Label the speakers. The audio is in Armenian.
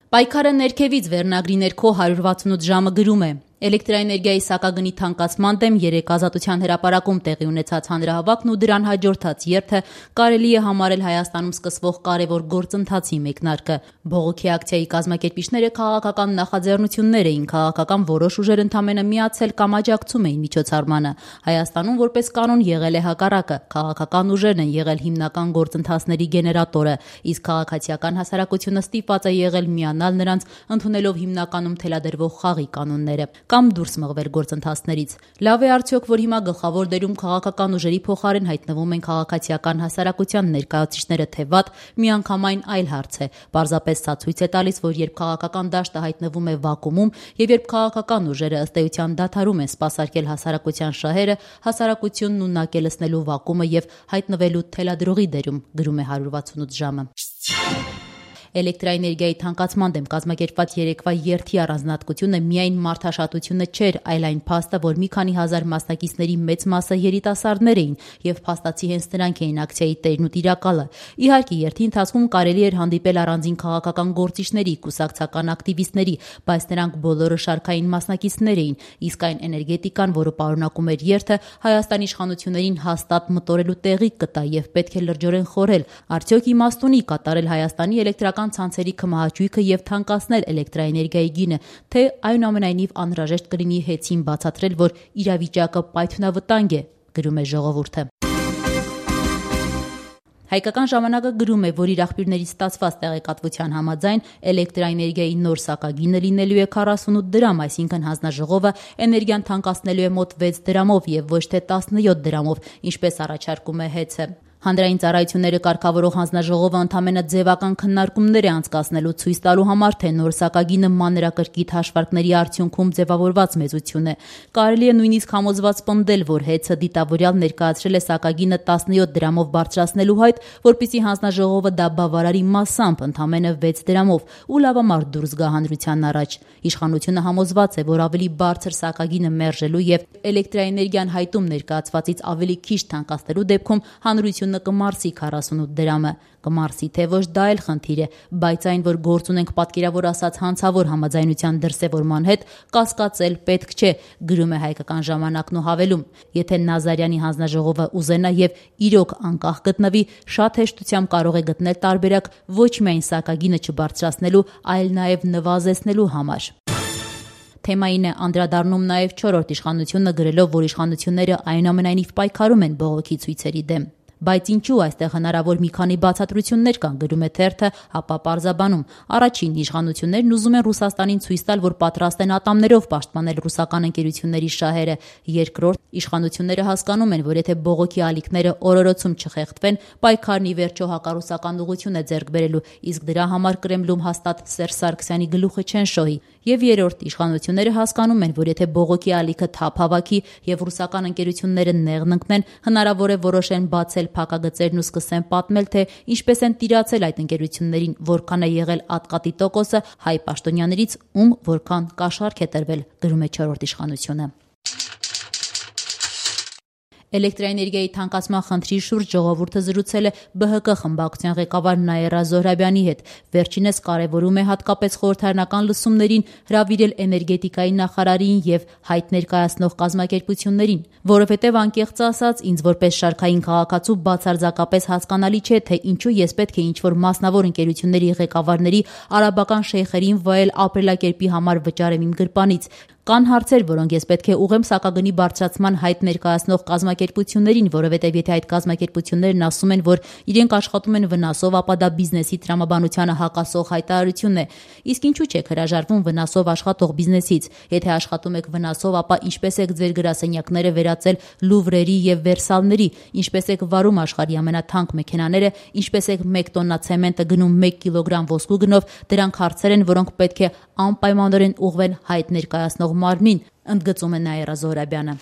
Speaker 1: Պայքարը ներքևից վերնագրի ներքո 168 ժամը գրում է. Էլեկտրաէներգիայի սակագնի թանկացման դեմ 3 Ազատության հրապարակում տեղի ունեցած հանրահավաքն ու դրան հաջորդած երթը կարելի է համարել Հայաստանում սկսվող կարևոր գործընթացի մեկնարկը։ Բողոքի ակցիայի կազմակերպիչները քաղաքական նախաձեռնություններ էին, քաղաքական որոշ ուժեր ընդամենը միացել կամ աջակցում էին միջոցառմանը։ Հայաստանում որպես կանոն եղել է հակառակը, քաղաքական ուժերն են եղել հիմնական գործընթացների գեներատորը, իսկ քաղաքացիական հասարակությունը ստիպված է եղել միանալ նրանց, ընդունելով հիմնականում թելադրվող խաղի կանոնները կամ դուրս մղվել գործընթացներից։ Լավ է արդյոք, որ հիմա գլխավոր դերում քաղաքական ուժերի փոխարեն հայտնվում են քաղաքացիական հասարակության ներկայացուցիչները, թե վատ, միանգամայն այլ հարց է։ Պարզապես սա ցույց է տալիս, որ երբ քաղաքական դաշտը հայտնվում է վակուումում եւ երբ քաղաքական ուժերը ըստ էության դադարում են սպասարկել հասարակության շահերը, հասարակությունն ունակ է լցնելու վակուումը եւ հայտնվելու թելադրողի դերում, գրում է 168 ժամը։ Էլեկտրաէներգիայի թանկացման դեմ կազմակերպված երեկվա երթի առանձնահատկությունը միայն մարդաշատությունը չէր, այլ այն փաստը, որ մի քանի հազար մասնակիցների մեծ մասը երիտասարդներ էին եւ փաստացի հենց նրանք էին ակցիայի տերն ու տիրակալը։ Իհարկե, երթի ընթացքում կարելի էր հանդիպել առանձին քաղաքական գործիչների, կուսակցական ակտիվիստների, բայց նրանք բոլորը շարքային մասնակիցներ էին, իսկ այն էներգետիկան, որը պարունակում էր երթը, Հայաստանի իշխանություններին հաստատ մտորելու տեղիք կտա եւ պետք է լրջորեն խորհել, արդյոք իմաստ ունի կատարել Հայաստանի էլեկտրական ցանցերի քմահաճույքը եւ թանկացնել էլեկտրաէներգիայի գինը, թե այնուամենայնիվ անհրաժեշտ կլինի հեծին բացատրել, որ իրավիճակը պայթյունավտանգ է, գրում է Ժողովուրդը։ Հայկական ժամանակը գրում է, որ իր աղբյուրներից ստացված տեղեկատվության համաձայն էլեկտրաէներգիայի նոր սակագինը լինելու է 48 դրամ, այսինքն հանձնաժողովը էներգիան թանկացնելու է մոտ 6 դրամով եւ ոչ թե 17 դրամով, ինչպես առաջարկում է ՀԵՑ-ը։ Հանրային ծառայությունները կարգավորող հանձնաժողովը ընդամենը ձևական քննարկումներ է անցկացնելու ցույց տալու համար, թե նոր սակագինը մանրակրկիտ հաշվարկների արդյունքում ձևավորված մեծություն է։ Կարելի է նույնիսկ համոզված պնդել, որ ՀԵՑ-ը դիտավորյալ ներկայացրել է սակագինը 17 դրամով բարձրացնելու հայտ, որպեսզի հանձնաժողովը դա բավարարի մասամբ ընդամենը 6 դրամով ու լավամարդ դուրս գա հանրության առաջ։ Իշխանությունը համոզված է, որ ավելի բարձր սակագինը մերժելու եւ էլեկտրաէներգիան հայտում ներկայացվածից ավելի քիչ թանկացնելու դեպքում հանրությունը կմարսի 48 դրամը։ Կմարսի, թե ոչ, դա էլ խնդիր է, բայց այն, որ գործ ունենք պատկերավոր ասած հանցավոր համաձայնության դրսևորման հետ, կասկածել պետք չէ, գրում է Հայկական ժամանակն ու հավելում. եթե Նազարյանի հանձնաժողովը ուզենա եւ իրոք անկախ գտնվի, շատ հեշտությամբ կարող է գտնել տարբերակ ոչ միայն սակագինը չբարձրացնելու, այլ նաեւ նվազեցնելու համար։ Թեմային է անդրադառնում նաև 4-րդ իշխանությունը, գրելով, որ իշխանությունները այնուամենայնիվ պայքարում են բողոքի ցույցերի դեմ։ Բայց ինչու այստեղ հնարավոր մի քանի բացատրություններ կան, գրում է թերթը, ապա պարզաբանում. առաջին, իշխանություններն ուզում են Ռուսաստանին ցույց տալ, որ պատրաստ են ատամներով պաշտպանել ռուսական ընկերությունների շահերը։ Երկրորդ, իշխանությունները հասկանում են, որ եթե բողոքի ալիքները օրորոցում չխեղդվեն, պայքարն ի վերջո հակառուսական ուղղություն է ձեռք բերելու, իսկ դրա համար Կրեմլում հաստատ Սերժ Սարգսյանի գլուխը չեն շոհի։ Եվ երրորդ, իշխանությունները հասկանում են, որ եթե բողոքի ալիքը թափ հավաքի եւ ռուսական ընկերությունները նեղն ընկնեն, հնարավոր է որոշեն բացել փակագծերն ու սկսեն պատմել, թե ինչպես են տիրացել այդ ընկերություններին, որքան է եղել ատկատի տոկոսը հայ պաշտոնյաներից, ում որքան կաշառք է տրվել, գրում է 4-րդ իշխանությունը։ Էլեկտրաէներգիայի թանկացման խնդրի շուրջ Ժողովուրդը զրուցել է ԲՀԿ խմբակցության ղեկավար Նաիրա Զոհրաբյանի հետ։ Վերջինս կարևորում է հատկապես խորհրդարանական լսումներին հրավիրել էներգետիկայի նախարարին եւ հայտ ներկայացնող կազմակերպություններին, որովհետեւ անկեղծ ասած, ինձ որպես շարքային քաղաքացու բացարձակապես հասկանալի չէ, թե ինչու ես պետք է ինչ-որ մասնավոր ընկերությունների ղեկավարների արաբական շեյխերին վայել ապրելակերպի համար վճարեմ իմ գրպանից։ Կան հարցեր, որոնք ես պետք է ուղղեմ սակագնի բարձրացման հայտ ներկայացնող կազմակերպություններին, որովհետև եթե այդ կազմակերպություններն ասում են, որ իրենք աշխատում են վնասով, ապա դա բիզնեսի տրամաբանությանը հակասող հայտարարություն է։ Իսկ ինչու չեք հրաժարվում վնասով աշխատող բիզնեսից։ Եթե աշխատում եք վնասով, ապա ինչպես եք ձեր գրասենյակները վերածել Լուվրերի եւ Վերսալների, ինչպես եք վարում աշխարհի ամենաթանկ մեքենաները, ինչպես եք 1 տոննա ցեմենտը գնում 1 կիլոգրամ ոսկու գնով, դրանք հարցեր են, որոնք պետք է անպայմանորեն ուղղվեն հայտ ներկայացնող մարմնին, ընդգծում է Նաիրա Զոհրաբյանը։